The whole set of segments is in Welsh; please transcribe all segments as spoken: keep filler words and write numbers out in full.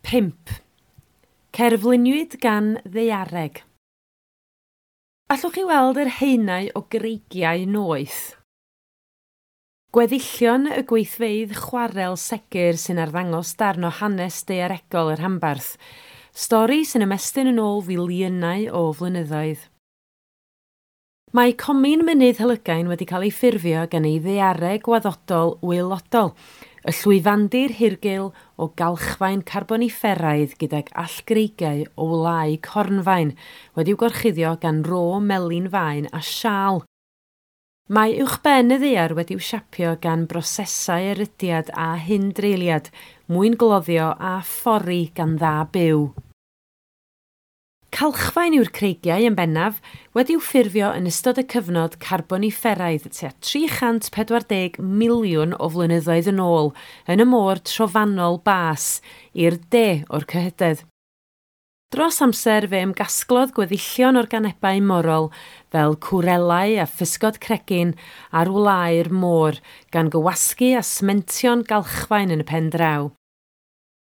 Pump. Cerfluniwyd gan ddaeareg. Allwch chi weld yr haenau o greigiau noeth? Gweddillion y gweithfeydd chwarel segur sy'n arddangos darn o hanes daearegol y rhanbarth, stori sy'n ymestyn yn ôl filiynau o flynyddoedd. Mae comin Mynydd Helygain wedi cael ei ffurfio gan ei ddaeareg gwaddodol waelodol, y llwyfandir hirgul o galchfaen carbonifferaidd gydag allgreigiau o wlâu cornfaen wedi'w gorchuddio gan ro melyn faen a siâl. Mae uwchben y ddaear wedi'w siapio gan brosesau erydiad a hindreuliad, mwyngloddio a phori gan dda byw. Calchfaen yw'r creigiau yn bennaf, wedi'w ffurfio yn ystod y cyfnod carbonifferaidd tua tri chant pedwar deg miliwn o flynyddoedd yn ôl yn y môr trofannol bas i'r de o'r cyhydedd. Dros amser fe ymgasglodd gweddillion organebau morol fel cwrelau a physgod cregyn ar wlâu'r môr gan gywasgu a smentio'n galchfaen yn y pen draw.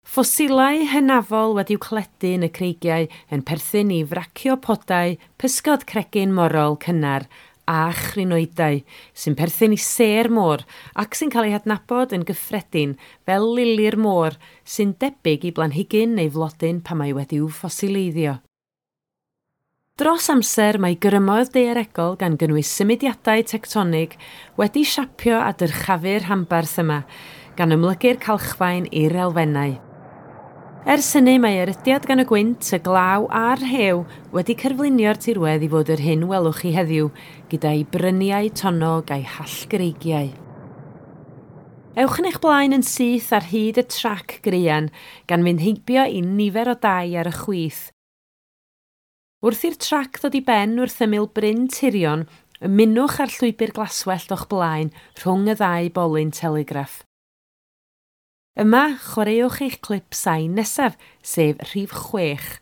Ffosilau hynafol wedi'w cledu yn y creigiau yn perthyn i fraciopodau, pysgod cregyn morol cynnar a chrinoidau sy'n perthyn i sêr môr ac sy'n cael eu hadnabod yn gyffredin fel lili'r môr sy'n debyg i blanhigyn neu flodyn pan mae wedi'w ffosileiddio. Dros amser mae grymoedd daearegol gan gynnwys symudiadau tectonig wedi siapio a dyrchafu'r rhanbarth yma, gan ymlygu'r calchfaen i'r elfennau. Ers hynny mae erydiad gan y gwynt, y glaw a'r rhew wedi cerflunio'r tirwedd i fod yr hyn welwch chi heddiw, gyda'i bryniau tonnog a'i hallgreigiau. Ewch yn eich blaen yn syth ar hyd y trac graean, gan fynd heibio i nifer o dai ar y chwith. Wrth i'r trac ddod i ben wrth ymyl Bryn Tirion, ymunwch â'r llwybr glaswellt o'ch blaen rhwng y ddau bolyn telegraff. Yma, chwaraewch eich clip sain nesaf, sef rhif chwech.